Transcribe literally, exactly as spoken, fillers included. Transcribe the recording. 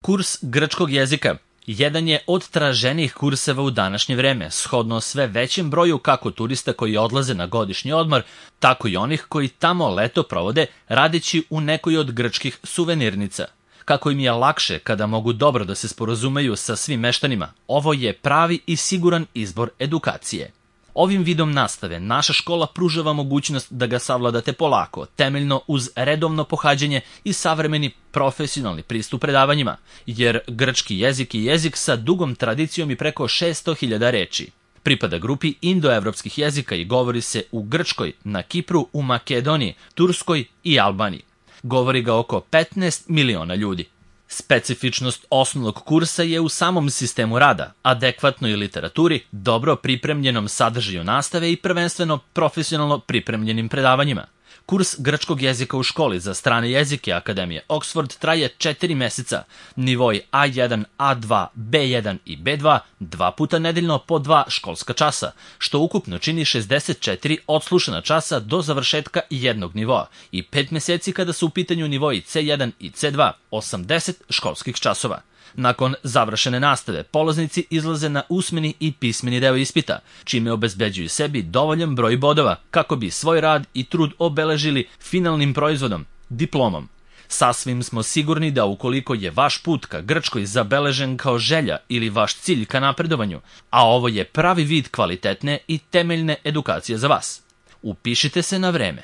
Kurs grčkog jezika jedan je od traženijih kurseva u današnje vreme, shodno sve većem broju kako turista koji odlaze na godišnji odmor, tako i onih koji tamo leto provode radeći u nekoj od grčkih suvenirnica. Kako im je lakše kada mogu dobro da se sporazumeju sa svim meštanima, ovo je pravi i siguran izbor edukacije. Ovim vidom nastave naša škola pružava mogućnost da ga savladate polako, temeljno uz redovno pohađanje i savremeni profesionalni pristup predavanjima, jer grčki jezik je jezik sa dugom tradicijom i preko šesto hiljada reči. Pripada grupi indoevropskih jezika i govori se u Grčkoj, na Kipru, u Makedoniji, Turskoj i Albaniji. Govori ga oko petnaest miliona ljudi. Specifičnost osnovnog kursa je u samom sistemu rada, adekvatnoj literaturi, dobro pripremljenom sadržaju nastave i prvenstveno profesionalno pripremljenim predavanjima. Kurs grčkog jezika u školi za strane jezike Akademije Oxford traje četiri meseca, nivoi A jedan, A dva, B jedan i B dva, dva puta nedeljno po dva školska časa, što ukupno čini šezdeset četiri odslušana časa do završetka jednog nivoa i pet meseci kada su u pitanju nivoi C jedan i C dva, osamdeset školskih časova. Nakon završene nastave, polaznici izlaze na usmeni i pismeni deo ispita, čime obezbeđuju sebi dovoljan broj bodova kako bi svoj rad i trud obeležili finalnim proizvodom, diplomom. Sasvim smo sigurni da ukoliko je vaš put ka Grčkoj zabeležen kao želja ili vaš cilj ka napredovanju, a ovo je pravi vid kvalitetne i temeljne edukacije za vas. Upišite se na vreme.